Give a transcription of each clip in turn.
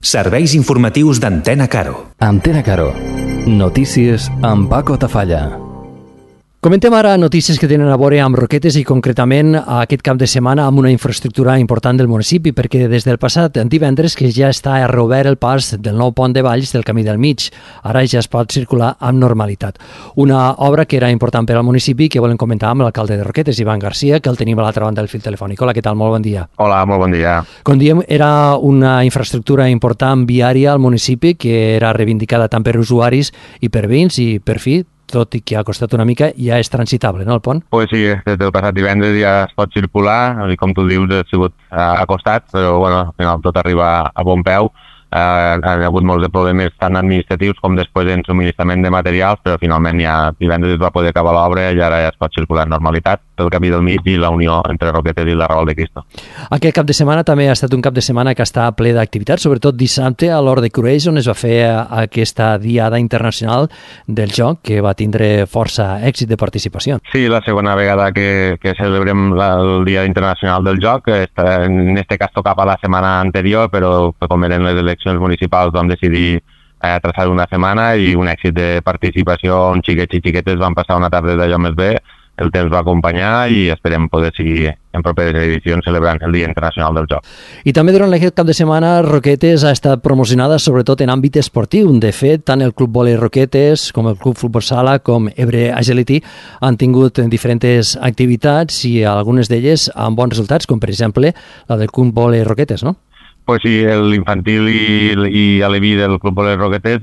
Serveis informatius d'Antena Caro. Antena Caro. Notícies amb Paco Tafalla. Comentem ara notícies que tenen a veure amb Roquetes i concretament aquest cap de setmana amb una infraestructura important del municipi, perquè des del passat divendres que ja està reobert el pas del nou pont de Valls del Camí del Mig. Ara ja es pot circular amb normalitat. Una obra que era important per al municipi que volem comentar amb l'alcalde de Roquetes, Ivan Garcia, que el tenim a l'altra banda del fil telefònic. Hola, què tal? Molt bon dia. Hola, molt bon dia. Com diem, era una infraestructura important viària al municipi que era reivindicada tant per usuaris i per veïns i per fi, tot i que ha costat una mica, ja és transitable, no, el pont? Pues sí, des del passat divendres ja es pot circular, i com tu dius, ha sigut acostat, però bueno, al final tot arriba a bon peu. Hi ha hagut molts de problemes tant administratius com després en subministrament de materials, però finalment ja divendres es va poder acabar l'obra i ara ja es pot circular en normalitat pel Camí del Mig i la unió entre Roquetes i la Raval de Cristo. Aquest cap de setmana també ha estat un cap de setmana que està ple d'activitats, sobretot dissabte a l'Hort de Crueix, on es va fer aquesta Diada Internacional del Joc, que va tindre força èxit de participació. Sí, la segona vegada que celebrem el Dia Internacional del Joc. En este cas tocava la setmana anterior, però com eren les eleccions municipals vam decidir traçar una setmana i un èxit de participació on xiquets i xiquetes van passar una tarda d'allò més bé. El temps va acompanyar i esperem poder seguir en properes edicions celebrant el Dia Internacional del Joc. I també durant aquest cap de setmana Roquetes ha estat promocionada sobretot en àmbit esportiu. De fet, tant el Club Vòlei Roquetes com el Club Futbol Sala com Ebre Agility han tingut diferents activitats i algunes d'elles amb bons resultats, com per exemple la del Club Vòlei Roquetes, no? Pues sí, l'infantil i l'Aleví del Club Vòlei Roquetes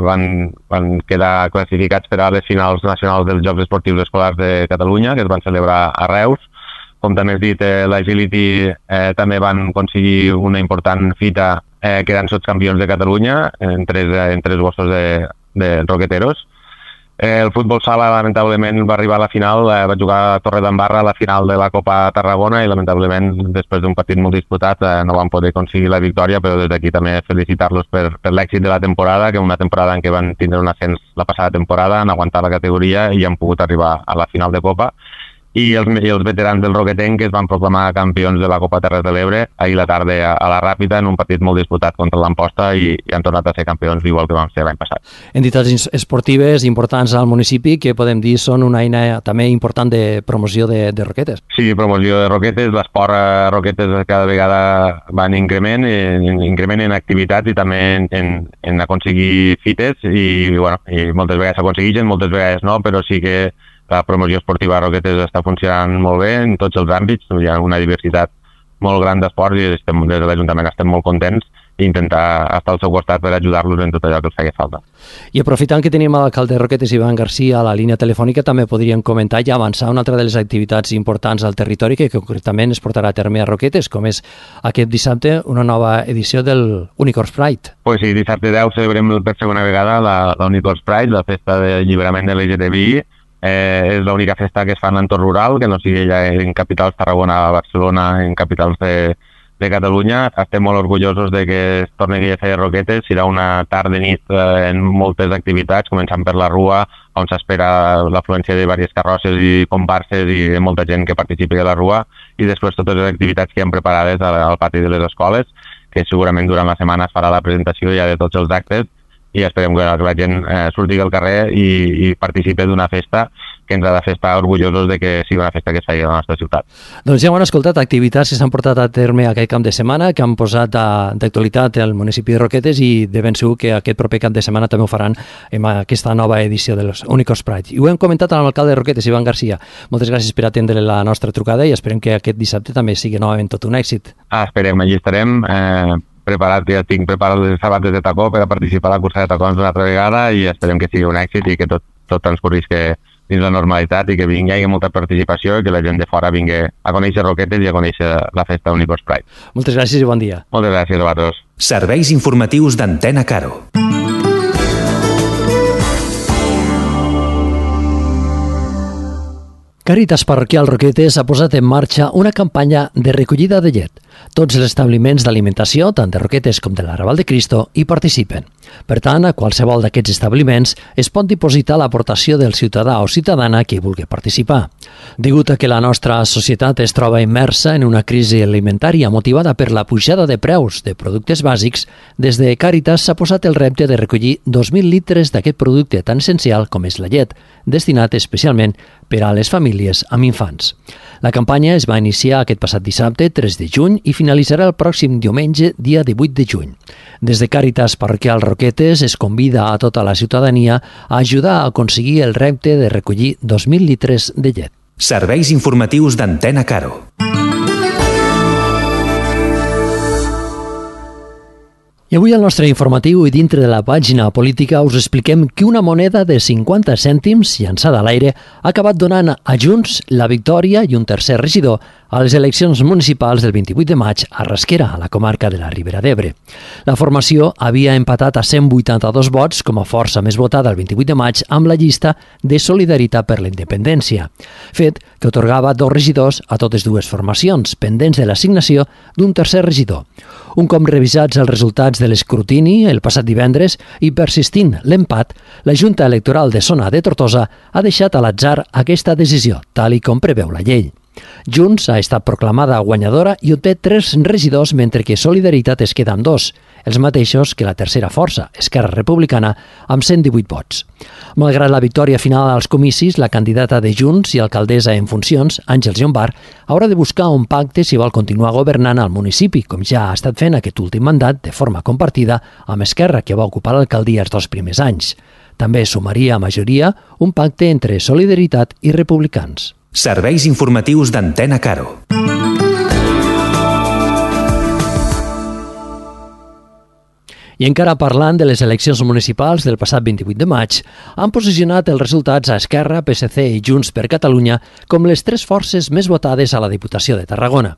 van quedar classificats per a les finals nacionals dels Jocs Esportius Escolars de Catalunya, que es van celebrar a Reus. Com també has dit, l'Agility també van aconseguir una important fita quedant sotscampions de Catalunya en tres gossos de roqueteros. El futbol sala lamentablement va arribar a la final, va jugar a Torredembarra a la final de la Copa Tarragona i lamentablement després d'un partit molt disputat no van poder aconseguir la victòria, però des d'aquí també felicitar-los per l'èxit de la temporada, que una temporada en què van tindre un ascens la passada temporada, han aguantat la categoria i han pogut arribar a la final de Copa. I els veterans del Roquetenc que es van proclamar campions de la Copa Terres de l'Ebre ahir la tarda a la Ràpita en un partit molt disputat contra l'Amposta i han tornat a ser campions igual que vam ser l'any passat. Entitats esportives importants al municipi que podem dir són una eina també important de promoció de Roquetes. Sí, promoció de Roquetes, l'esport a Roquetes cada vegada va en increment en activitats i també en aconseguir fites i moltes vegades s'aconsegueixen, moltes vegades no, però sí que la promoció esportiva a Roquetes està funcionant molt bé en tots els àmbits. Hi ha una diversitat molt gran d'esports i des de l'Ajuntament estem molt contents i intentar estar al seu costat per ajudar-los en tot allò que els feia falta. I aprofitant que tenim l'alcalde de Roquetes, Ivan Garcia, a la línia telefònica, també podríem comentar i avançar una altra de les activitats importants al territori que concretament es portarà a terme a Roquetes, com és aquest dissabte una nova edició del Unicorns Pride. Pues sí, dissabte 10 celebrem per segona vegada la Unicorns Pride, la festa d'alliberament de l'LGTBI. És l'única festa que es fa en l'entorn rural, que no sigui ja en capitals Tarragona, Barcelona, en capitals de Catalunya. Estem molt orgullosos de que es torni a fer Roquetes. Serà una tarda i nit en moltes activitats, començant per la Rua, on s'espera l'afluència de diverses carrosses i comparses i de molta gent que participi a la Rua, i després totes les activitats que hem preparades al pati de les escoles, que segurament durant la setmana es farà la presentació ja de tots els actes, i esperem que la gent surti al carrer i participi d'una festa que ens ha de fer estar orgullosos de que sigui una festa que es faci a la nostra ciutat. Doncs ja ho han escoltat, activitats que s'han portat a terme aquest cap de setmana, que han posat d'actualitat el municipi de Roquetes i de ben segur que aquest proper cap de setmana també ho faran en aquesta nova edició de los Unicorns Pride. I ho hem comentat amb l'alcalde de Roquetes, Ivan Garcia. Moltes gràcies per atendre la nostra trucada i esperem que aquest dissabte també sigui novament tot un èxit. Esperem, allí estarem. Ja tinc preparat les sabates de tacó per a participar a la cursa de tacons una altra vegada i esperem que sigui un èxit i que tot transcorrisca dins la normalitat i que hi hagi molta participació i que la gent de fora vingui a conèixer Roquetes i a conèixer la festa Unicorns Pride. Moltes gràcies i bon dia. Moltes gràcies a vosaltres. Serveis informatius d'Antena Caro. Càritas Parroquial Roquetes ha posat en marxa una campanya de recollida de llet. Tots els establiments d'alimentació, tant de Roquetes com de l'Arrabal de Cristo, hi participen. Per tant, a qualsevol d'aquests establiments es pot dipositar l'aportació del ciutadà o ciutadana que hi vulgui participar. Degut a que la nostra societat es troba immersa en una crisi alimentària motivada per la pujada de preus de productes bàsics, des de Càritas s'ha posat el repte de recollir 2.000 litres d'aquest producte tan essencial com és la llet, destinat especialment per a les famílies amb infants. La campanya es va iniciar aquest passat dissabte, 3 de juny, i finalitzarà el pròxim diumenge, dia 18 de juny. Des de Càritas Parroquial Roquetes es convida a tota la ciutadania a ajudar a aconseguir el repte de recollir 2.000 litres de llet. Serveis informatius d'Antena Caro. I avui al nostre informatiu i dintre de la pàgina política us expliquem que una moneda de 50 cèntims llançada a l'aire ha acabat donant a Junts la victòria i un tercer regidor a les eleccions municipals del 28 de maig a Rasquera, a la comarca de la Ribera d'Ebre. La formació havia empatat a 182 vots com a força més votada el 28 de maig amb la llista de Solidaritat per la Independència, fet que atorgava 2 regidors a totes dues formacions, pendents de l'assignació d'un tercer regidor. Un cop revisats els resultats de l'escrutini el passat divendres i persistint l'empat, la Junta Electoral de Zona de Tortosa ha deixat a l'atzar aquesta decisió, tal i com preveu la llei. Junts ha estat proclamada guanyadora i obté 3 regidors, mentre que Solidaritat es queda amb 2, els mateixos que la tercera força, Esquerra Republicana, amb 118 vots. Malgrat la victòria final als comicis, la candidata de Junts i alcaldessa en funcions, Àngels Llombart, haurà de buscar un pacte si vol continuar governant al municipi, com ja ha estat fent aquest últim mandat de forma compartida amb Esquerra, que va ocupar l'alcaldia els 2 primers anys. També sumaria a majoria un pacte entre Solidaritat i Republicans. Serveis informatius d'Antena Caro. I encara parlant de les eleccions municipals del passat 28 de maig, han posicionat els resultats a Esquerra, PSC i Junts per Catalunya com les 3 forces més votades a la Diputació de Tarragona.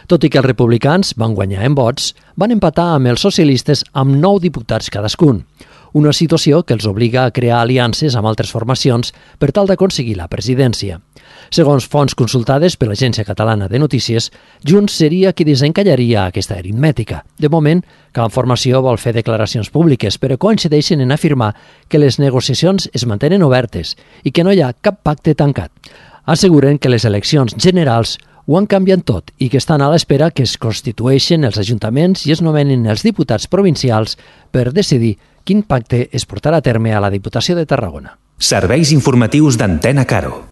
Tot i que els republicans van guanyar en vots, van empatar amb els socialistes amb 9 diputats cadascun. Una situació que els obliga a crear aliances amb altres formacions per tal d'aconseguir la presidència. Segons fonts consultades per l'Agència Catalana de Notícies, Junts seria qui desencallaria aquesta aritmètica. De moment, cada formació vol fer declaracions públiques, però coincideixen en afirmar que les negociacions es mantenen obertes i que no hi ha cap pacte tancat. Asseguren que les eleccions generals ho han canviat tot i que estan a l'espera que es constitueixen els ajuntaments i es nomenen els diputats provincials per decidir quin pacte es portarà a terme a la Diputació de Tarragona. Serveis informatius d'Antena Caro.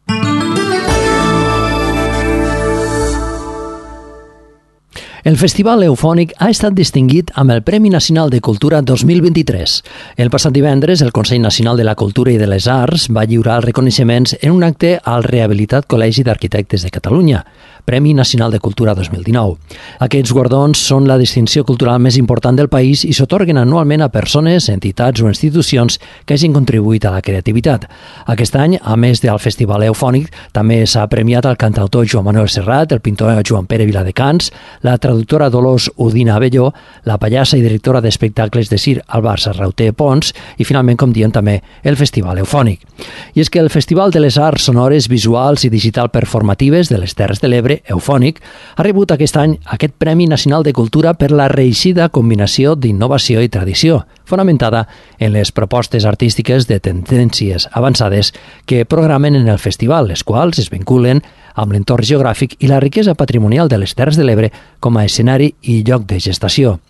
El Festival Eufònic ha estat distingit amb el Premi Nacional de Cultura 2023. El passat divendres, el Consell Nacional de la Cultura i de les Arts va lliurar els reconeixements en un acte al Rehabilitat Col·legi d'Arquitectes de Catalunya, Premi Nacional de Cultura 2019. Aquests guardons són la distinció cultural més important del país i s'atorguen anualment a persones, entitats o institucions que hagin contribuït a la creativitat. Aquest any, a més del Festival Eufònic, també s'ha premiat el cantautor Joan Manuel Serrat, el pintor Joan Pere Viladecans, la traductora Dolors Udina Abelló, la pallassa i directora d'espectacles de Cir Albar Sarrauter Pons i, finalment, com diem també, el Festival Eufònic. I és que el Festival de les Arts Sonores, Visuals i Digital Performatives de les Terres de l'Ebre, Eufònic, ha rebut aquest any aquest Premi Nacional de Cultura per la reeixida combinació d'innovació i tradició, fonamentada en les propostes artístiques de tendències avançades que programen en el festival, les quals es vinculen amb l'entorn geogràfic i la riquesa patrimonial de les Terres de l'Ebre com a escenari i lloc de gestació.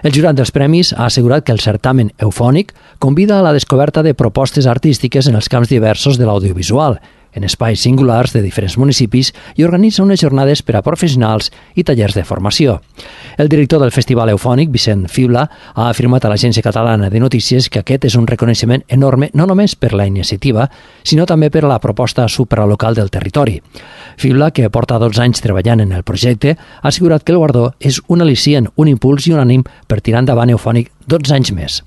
El jurat dels premis ha assegurat que el certamen Eufònic convida a la descoberta de propostes artístiques en els camps diversos de l'audiovisual, en espais singulars de diferents municipis i organitza unes jornades per a professionals i tallers de formació. El director del Festival Eufònic, Vicent Fibla, ha afirmat a l'Agència Catalana de Notícies que aquest és un reconeixement enorme no només per la iniciativa, sinó també per la proposta supralocal del territori. Fibla, que porta 12 anys treballant en el projecte, ha assegurat que el guardó és un al·licient, un impuls i un ànim per tirar endavant Eufònic 12 anys més.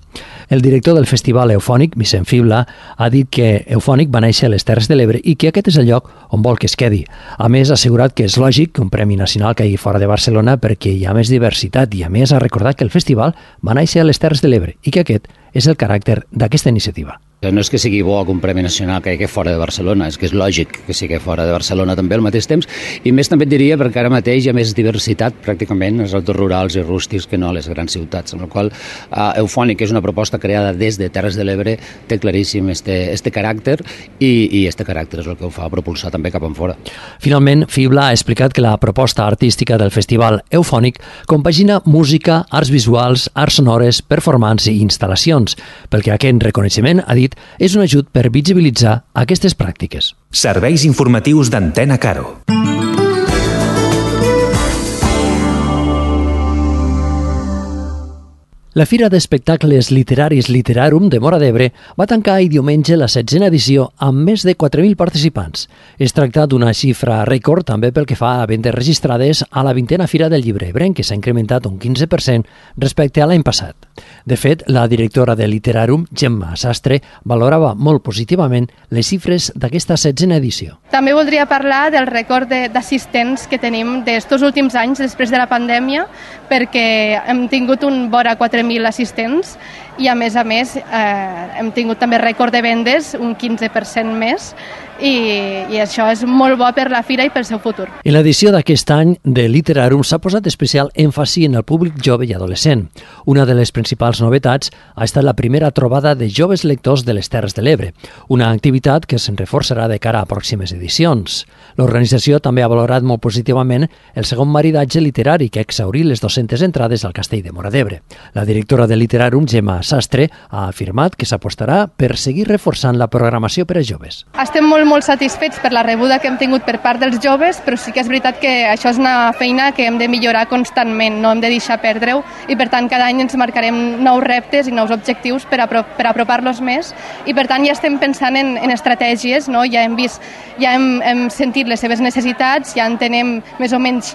El director del Festival Eufònic, Vicent Fibla, ha dit que Eufònic va néixer a les Terres de l'Ebre i que aquest és el lloc on vol que es quedi. A més, ha assegurat que és lògic que un premi nacional caigui fora de Barcelona perquè hi ha més diversitat i, a més, ha recordat que el festival va néixer a les Terres de l'Ebre i que aquest és el caràcter d'aquesta iniciativa. No és que sigui bo que un Premi Nacional caigui fora de Barcelona, és que és lògic que sigui fora de Barcelona també al mateix temps, i més també et diria perquè ara mateix hi ha més diversitat pràcticament als autors rurals i rústics que no a les grans ciutats, amb la qual Eufònic, que és una proposta creada des de Terres de l'Ebre, té claríssim este caràcter i este caràcter és el que ho fa propulsar també cap enfora. Finalment, Fibla ha explicat que la proposta artística del festival Eufònic compagina música, arts visuals, arts sonores, performance i instal·lacions, perquè aquest reconeixement, ha dit, és un ajut per visibilitzar aquestes pràctiques. Serveis informatius d'Antena Caro. La Fira d'Espectacles Literaris Literarum de Móra d'Ebre va tancar ahir diumenge la 16a edició amb més de 4.000 participants. Es tracta d'una xifra rècord també pel que fa a vendes registrades a la 20a Fira del Llibre Ebrenc, que s'ha incrementat un 15% respecte a l'any passat. De fet, la directora de Literarum, Gemma Sastre, valorava molt positivament les xifres d'aquesta 16a edició. També voldria parlar del rècord d'assistents que tenim d'estos últims anys després de la pandèmia, perquè hem tingut un vora 4.000 assistents i a més hem tingut també rècord de vendes, un 15% més, i això és molt bo per la fira i pel seu futur. En l'edició d'aquest any de Literarum s'ha posat especial èmfasi en el públic jove i adolescent. Una de les principals novetats ha estat la primera trobada de joves lectors de les Terres de l'Ebre, una activitat que se'n reforçarà de cara a pròximes edicions. L'organització també ha valorat molt positivament el segon maridatge literari que ha exhaurit les 200 entrades al Castell de Móra d'Ebre. La directora de Literarum, Gemma Sastre, ha afirmat que s'apostarà per seguir reforçant la programació per a joves. Estem molt satisfets per la rebuda que hem tingut per part dels joves, però sí que és veritat que això és una feina que hem de millorar constantment, no hem de deixar perdre-ho, i per tant cada any ens marcarem nous reptes i nous objectius per apropar-los més, i per tant ja estem pensant en estratègies, no? Ja hem sentit les seves necessitats, ja entenem més o menys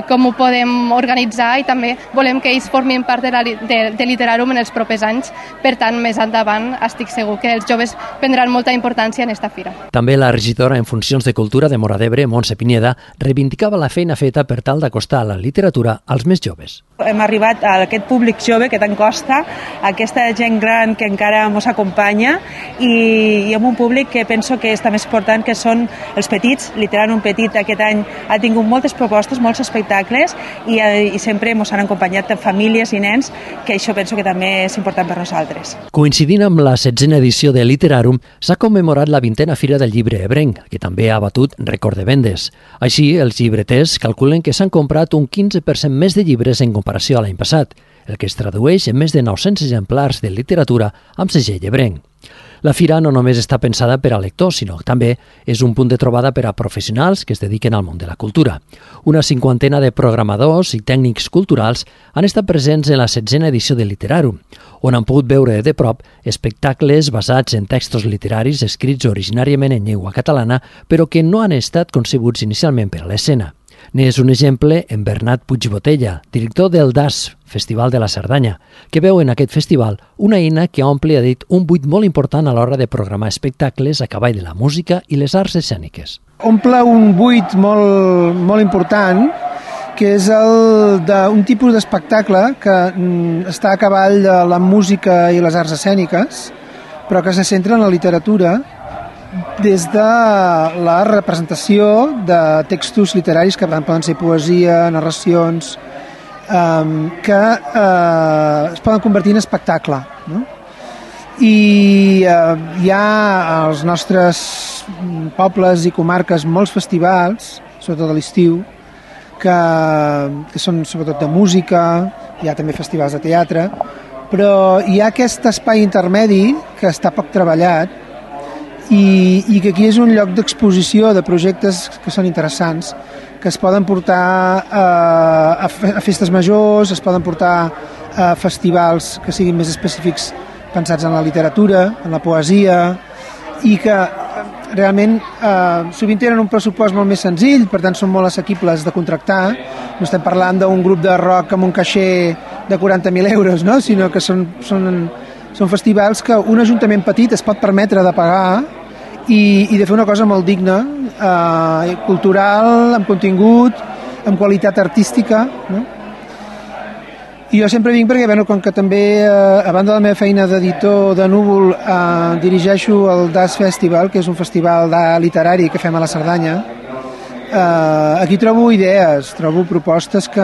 com ho podem organitzar, i també volem que ells formin part de Literarum en els propers anys. Per tant, més endavant estic segur que els joves prendran molta importància en esta fira. També la regidora en funcions de cultura de Móra d'Ebre, Montse Pineda, reivindicava la feina feta per tal d'acostar la literatura als més joves. Hem arribat a aquest públic jove que tant costa, aquesta gent gran que encara ens acompanya, i amb un públic que penso que és també important, que són els petits. Literarum Petit aquest any ha tingut moltes propostes, molts espectacles, i sempre ens han acompanyat famílies i nens, que això penso que també és important per nosaltres. Coincidint amb la 16a edició de Literarum, s'ha commemorat la 20a Fira del Llibre Ebrenc, que també ha batut rècord de vendes. Així, els llibreters calculen que s'han comprat un 15% més de llibres en comparació a l'any passat, el que es tradueix en més de 900 exemplars de literatura amb segell ebrenc. La fira no només està pensada per a lectors, sinó que també és un punt de trobada per a professionals que es dediquen al món de la cultura. Una 50ena de programadors i tècnics culturals han estat presents en la 16a edició de Literarum, on han pogut veure de prop espectacles basats en textos literaris escrits originàriament en llengua catalana, però que no han estat concebuts inicialment per a l'escena. N'és un exemple en Bernat Puigbotella, director del DAS, Festival de la Cerdanya, que veu en aquest festival una eina que omple, ha dit, un buit molt important a l'hora de programar espectacles a cavall de la música i les arts escèniques. Omple un buit molt important, que és el d'un tipus d'espectacle que està a cavall de la música i les arts escèniques, però que se centra en la literatura des de la representació de textos literaris que poden ser poesia, narracions, que es poden convertir en espectacle, no? I hi ha als nostres pobles i comarques molts festivals, sobretot a l'estiu, que són sobretot de música, hi ha també festivals de teatre, però hi ha aquest espai intermedi que està poc treballat i que aquí és un lloc d'exposició de projectes que són interessants, que es poden portar a festes majors, es poden portar a festivals que siguin més específics pensats en la literatura, en la poesia, i que realment sovint tenen un pressupost molt més senzill, per tant són molt assequibles de contractar. No estem parlant d'un grup de rock amb un caixer de 40.000 euros, no? Sinó que són festivals que un ajuntament petit es pot permetre de pagar i de fer una cosa molt digna, cultural, amb contingut, amb qualitat artística, no? I jo sempre vinc perquè, bueno, com que també, a banda de la meva feina d'editor de Núvol, dirigeixo el DAS Festival, que és un festival literari que fem a la Cerdanya. Aquí trobo idees, trobo propostes que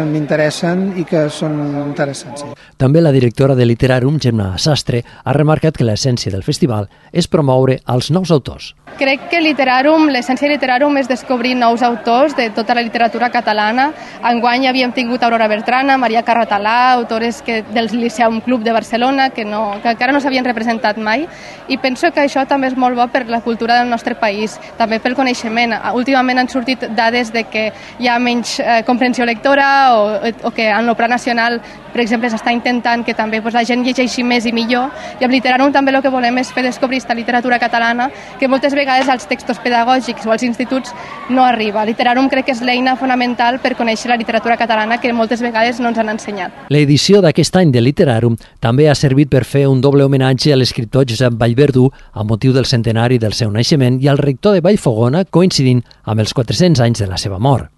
m'interessen i que són interessants. Sí. També la directora de Literàrum, Gemma Sastre, ha remarcat que l'essència del festival és promoure els nous autors. Crec que l'essència de Literàrum és descobrir nous autors de tota la literatura catalana. Enguany havíem tingut Aurora Bertrana, Maria Carratalà, autores del Liceum Club de Barcelona, que encara no s'havien representat mai, i penso que això també és molt bo per la cultura del nostre país, també pel coneixement. Últimament han sortit dades de que hi ha menys comprensió lectora o que en el Pla Nacional, per exemple, s'està intentant que també la gent llegeixi més i millor, i amb Literàrum també el que volem és fer descobrir aquesta literatura catalana que moltes vegades als textos pedagògics o als instituts no arriba. Literàrum crec que és l'eina fonamental per conèixer la literatura catalana que moltes vegades no ens han ensenyat. L'edició d'aquest any de Literàrum també ha servit per fer un doble homenatge a l'escriptor Josep Vallverdú a motiu del centenari del seu naixement i al rector de Vallfogona, coincidint amb els 400 anys de la seva mort.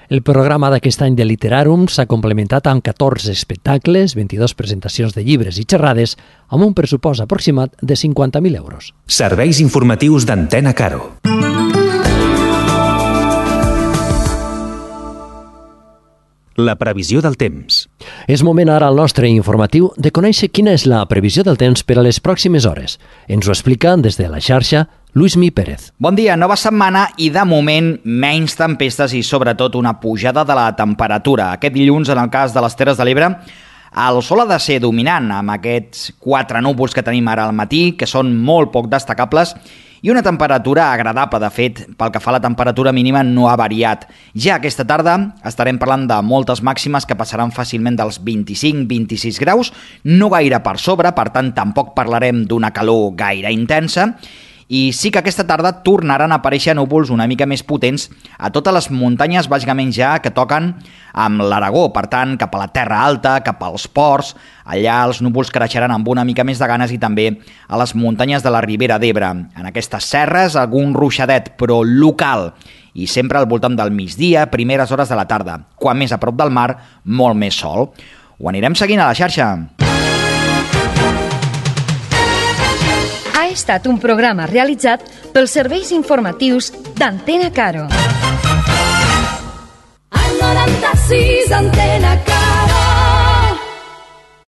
El programa d'aquest any de Literàrum s'ha complementat amb 14 espectacles, 22 presentacions de llibres i xerrades, amb un pressupost aproximat de 50.000 euros. Serveis informatius d'Antena Caro. La previsió del temps. És moment ara al nostre informatiu de conèixer quina és la previsió del temps per a les pròximes hores. Ens ho explica des de la xarxa Luismi Pérez. Bon dia, nova setmana i de moment menys tempestes i sobretot una pujada de la temperatura. Aquest dilluns, en el cas de les Terres de l'Ebre, el sol ha de ser dominant amb aquests 4 núvols que tenim ara al matí, que són molt poc destacables, i una temperatura agradable. De fet, pel que fa a la temperatura mínima no ha variat. Ja aquesta tarda estarem parlant de moltes màximes que passaran fàcilment dels 25-26 graus, no gaire per sobre, per tant tampoc parlarem d'una calor gaire intensa, i sí que aquesta tarda tornaran a aparèixer núvols una mica més potents a totes les muntanyes, bàsicament ja que toquen amb l'Aragó, per tant, cap a la Terra Alta, cap als ports, allà els núvols creixeran amb una mica més de ganes i també a les muntanyes de la Ribera d'Ebre. En aquestes serres, algun ruixadet, però local, i sempre al voltant del migdia, primeres hores de la tarda. Quan més a prop del mar, molt més sol. Ho anirem seguint a la xarxa. Ha estat un programa realitzat pels serveis informatius d'Antena Caro. Al 96 Antena Caro.